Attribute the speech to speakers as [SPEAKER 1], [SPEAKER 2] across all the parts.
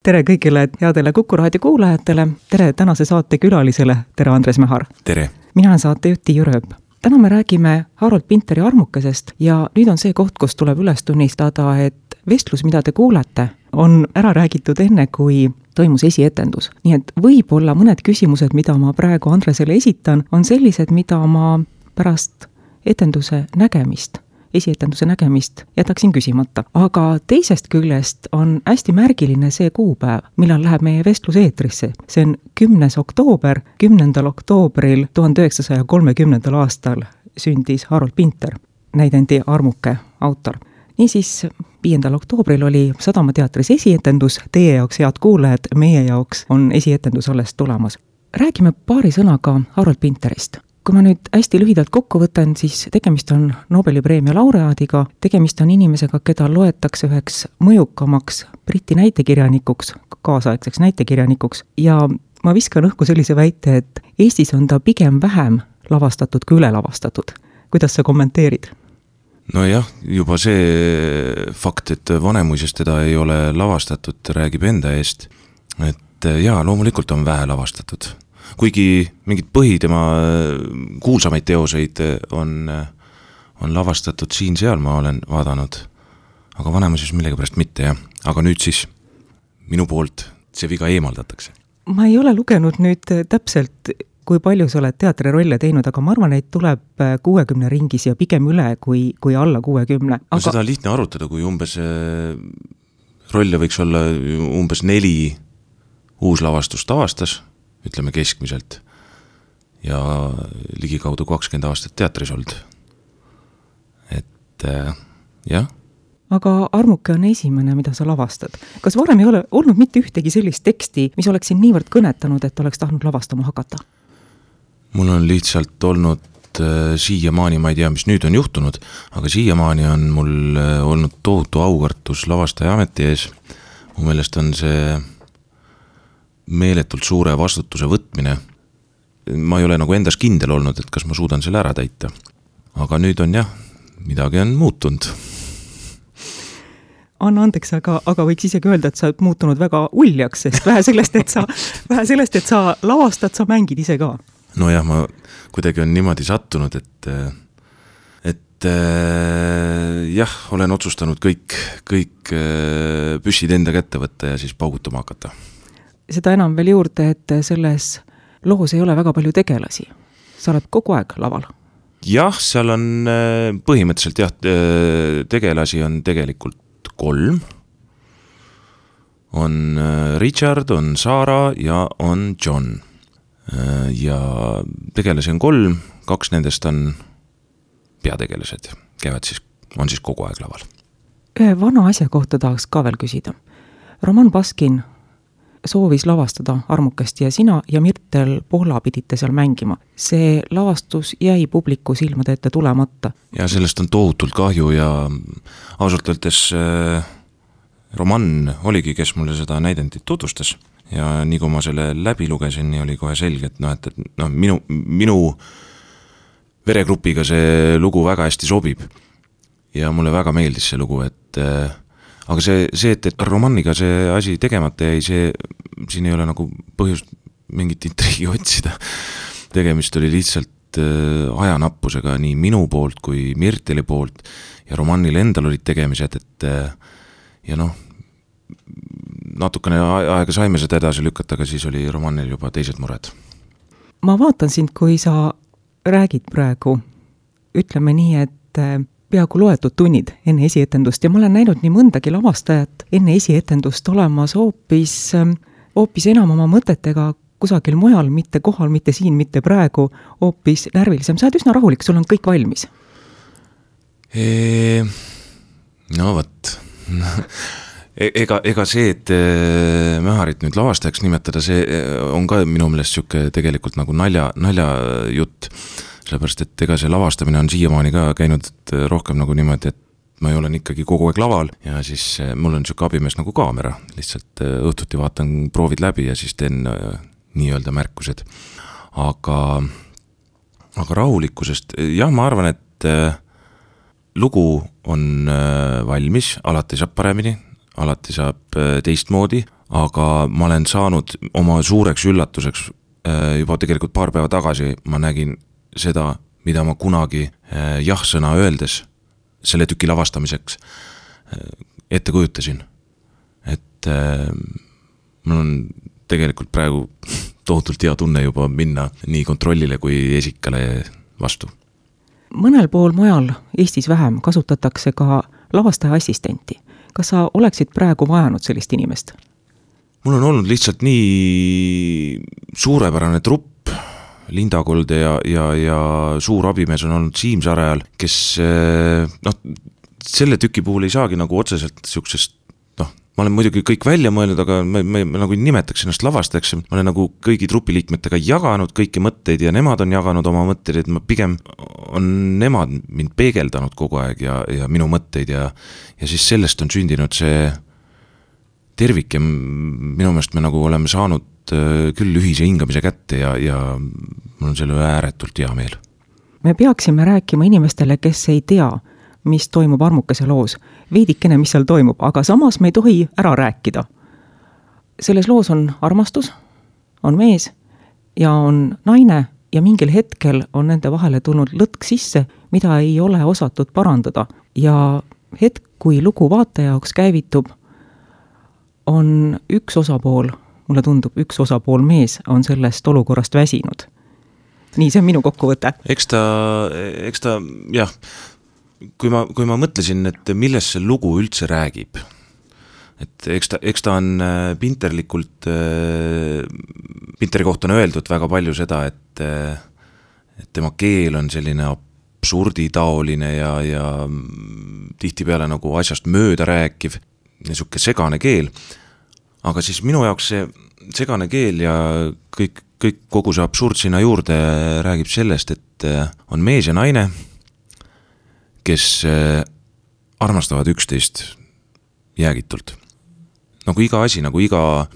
[SPEAKER 1] Tere kõigile headele Kuku raadio kuulajatele, tere tänase saate külalisele, tere Andres Mehar.
[SPEAKER 2] Tere!
[SPEAKER 1] Mina olen saatejuht Tiiu Rööp. Täna me räägime Harold Pinteri Armukesest ja nüüd on see koht, kus tuleb üles tunnistada, et vestlus, mida te kuulete, on ära räägitud enne, kui toimus esietendus. Nii et võib-olla mõned küsimused, mida ma praegu Andresele esitan, on sellised, mida ma pärast esietenduse nägemist jätaksin küsimata. Aga teisest küljest on hästi märgiline see kuupäev, millal läheb meie vestlus eetrisse. See on 10. oktoober, 10. oktoobril 1930. aastal sündis Harold Pinter, näidendi Armuke autor. Niisiis, 5. oktoobril oli Sadama teatris esietendus, teie jaoks, head kuulajad, meie jaoks on esietendus alles tulemas. Räägime paari sõnaga Harold Pinterist. Kui ma nüüd hästi lühidalt kokku võtan, siis tegemist on Nobeli preemia laureaadiga, tegemist on inimesega, keda loetakse üheks mõjukamaks Briti näitekirjanikuks, kaasaegseks näitekirjanikuks, ja ma viskan õhku sellise väite, et Eestis on ta pigem vähem lavastatud kui üle lavastatud. Kuidas sa kommenteerid?
[SPEAKER 2] No jah, juba see fakt, et Vanemuisest teda ei ole lavastatud, räägib enda eest, et jaa, loomulikult on vähe lavastatud. Kuigi mingid tema kuulsamaid teoseid on lavastatud siin-seal, ma olen vaadanud, aga Vanemuises millegipärast mitte, jah. Aga nüüd siis minu poolt see viga eemaldatakse.
[SPEAKER 1] Ma ei ole lugenud nüüd täpselt, kui palju sa oled teatrirolle teinud, aga ma arvan, et tuleb 60 ringis ja pigem üle kui alla 60. Aga...
[SPEAKER 2] No seda on lihtne arutada, kui umbes rolle võiks olla umbes 4 uuslavastust aastas, ütleme keskmiselt, ja ligikaudu 20 aastat teatris olnud. Et jah.
[SPEAKER 1] Aga Armuke on esimene, mida sa lavastad. Kas varem ei ole olnud mitte ühtegi sellist teksti, mis oleks siin niivõrd kõnetanud, et oleks tahtnud lavastama hakata?
[SPEAKER 2] Mul on lihtsalt olnud siiamaani, ma ei tea, mis nüüd on juhtunud, aga siiamaani on mul olnud tohutu aukartus lavastaja ameti ees. Mu meelest on see meeletult suure vastutuse võtmine. Ma ei ole nagu endas kindel olnud, et kas ma suudan selle ära täita. Aga nüüd on jah, midagi on muutunud.
[SPEAKER 1] Anna andeks, aga võiks isegi öelda, et sa oled muutunud väga uljaks, sest vähe sellest, et sa lavastad, sa mängid ise ka.
[SPEAKER 2] No jah, ma kuidagi on niimoodi sattunud, et jah, olen otsustanud kõik püssid enda kätte võtta ja siis paugutama hakata.
[SPEAKER 1] Seda enam veel juurde, et selles loos ei ole väga palju tegelasi. Sa oled kogu aeg laval.
[SPEAKER 2] Jah, seal on põhimõtteliselt jah, tegelasi on tegelikult 3. On Richard, on Sarah ja on John. Ja tegelasi on 3, 2 nendest on peategelased, on siis kogu aeg laval.
[SPEAKER 1] Ühe vana asja kohta tahaks ka veel küsida. Roman Baskin soovis lavastada Armukest ja sina ja Mirtel Pohla pidite seal mängima. See lavastus jäi publiku silmade ette tulemata.
[SPEAKER 2] Ja sellest on tohutult kahju ja ausalt öeldes Roman oligi, kes mulle seda näidendit tutvustas. Ja nii kui ma selle läbi lugesin, nii oli kohe selge, et minu veregrupiga see lugu väga hästi sobib. Ja mulle väga meeldis see lugu, aga see, et Romaniga see asi tegemata jäi, siin ei ole nagu põhjust mingit intriigi otsida. Tegemist oli lihtsalt ajanappusega nii minu poolt kui Mirteli poolt ja Romanil endal olid tegemised, ja natukene aega saime seda edasi lükata, aga siis oli Romanil juba teised mured.
[SPEAKER 1] Ma vaatan sind, kui sa räägid praegu, ütleme nii, et peaaegu loetud tunnid enne esietendust ja ma olen näinud nii mõndagi lavastajat enne esietendust olemas hoopis enam oma mõtetega kusagil mujal, mitte kohal, mitte siin, mitte praegu, hoopis närvilisem. Sa oled üsna rahulik, sul on kõik valmis.
[SPEAKER 2] No võt. Ega see, et Meharit nüüd lavastajaks nimetada, see on ka minu meelest siuke tegelikult nagu nalja jutt. Sellepärast, et ega see lavastamine on siiamaani ka käinud rohkem nagu niimoodi, et ma olen ikkagi kogu aeg laval ja siis mul on siuke abimees nagu kaamera. Lihtsalt õhtuti vaatan proovid läbi ja siis teen nii-öelda märkused. Aga rahulikkusest, jah, ma arvan, et lugu on valmis, alati saab paremini, alati saab teistmoodi, aga ma olen saanud oma suureks üllatuseks juba tegelikult paar päeva tagasi, ma nägin seda, mida ma kunagi jah-sõna öeldes selle tüki lavastamiseks ette kujutasin. Et mul on tegelikult praegu tohutult hea tunne juba minna nii kontrollile kui esikale vastu.
[SPEAKER 1] Mõnel pool mujal Eestis vähem kasutatakse ka lavastaja assistenti. Kas sa oleksid praegu vajanud sellist inimest?
[SPEAKER 2] Mul on olnud lihtsalt nii suurepärane trupp, Linda Kolde ja suur abimees on olnud Siim Sarajal, kes selle tüki puhul ei saagi nagu otseselt siuksest, ma olen muidugi kõik välja mõelnud, aga ma nagu nimetaks ennast lavastajaks, ma olen nagu kõigi trupiliikmetega jaganud kõiki mõtteid ja nemad on jaganud oma mõtteid, et ma pigem on nemad mind peegeldanud kogu aeg ja minu mõtteid ja siis sellest on sündinud see tervik ja minu meelest me nagu oleme saanud küll ühise hingamise kätte ja mul on selle ääretult hea meel.
[SPEAKER 1] Me peaksime rääkima inimestele, kes ei tea, mis toimub Armukese loos, veidikene, mis seal toimub, aga samas me ei tohi ära rääkida. Selles loos on armastus, on mees ja on naine ja mingil hetkel on nende vahele tulnud lõtk sisse, mida ei ole osatud parandada. Ja hetk, kui lugu vaataja jaoks käivitub, on üks osapool, mulle tundub, üks osapool mees on sellest olukorrast väsinud. Nii, see on minu kokkuvõte.
[SPEAKER 2] Eks ta, jah, kui ma mõtlesin, et milles see lugu üldse räägib, et eks ta on Pinterlikult, Pinteri kohta on öeldud väga palju seda, et tema keel on selline absurditaoline ja tihtipeale nagu asjast mööda rääkiv ja siuke segane keel, aga siis minu jaoks see segane keel ja kogu see absurd sinna juurde räägib sellest, et on mees ja naine, kes armastavad üksteist jäägitult. Nagu iga asi, nagu iga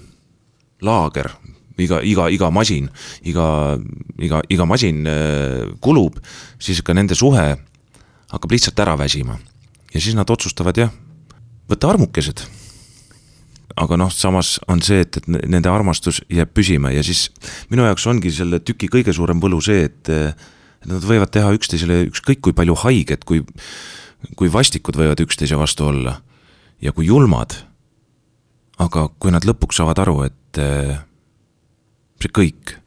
[SPEAKER 2] laager, iga masin, iga masin kulub, siis ka nende suhe hakkab lihtsalt ära väsima. Ja siis nad otsustavad, võtta armukesed. Aga samas on see, et nende armastus jääb püsima ja siis minu jaoks ongi selle tüki kõige suurem võlu see, et nad võivad teha üksteisele ükskõik kui palju haiget, kui vastikud võivad üksteise vastu olla ja kui julmad. Aga kui nad lõpuks saavad aru, et see kõik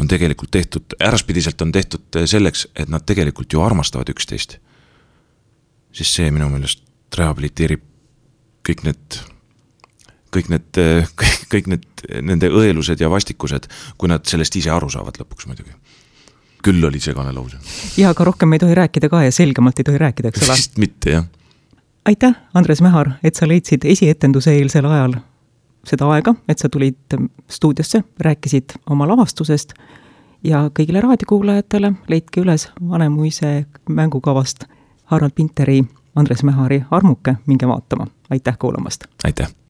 [SPEAKER 2] on tegelikult tehtud, äraspidiselt on tehtud selleks, et nad tegelikult ju armastavad üksteist, siis see minu meelest rehabiliteerib kõik need nende õelused ja vastikused, kui nad sellest ise aru saavad lõpuks muidugi. Küll oli segane lause.
[SPEAKER 1] Ja aga rohkem ei tohi rääkida ka ja selgemalt ei tohi rääkida, eks ole?
[SPEAKER 2] Vist mitte, jah.
[SPEAKER 1] Aitäh, Andres Mehar, et sa leidsid esietenduse eelsel ajal seda aega, et sa tulid stuudiosse, rääkisid oma lavastusest ja kõigile raadiokuulajatele leidke üles Vanemuise mängukavast Harald Pinteri, Andres Mehari Armuke, minge vaatama. Aitäh kuulamast!
[SPEAKER 2] Aitäh!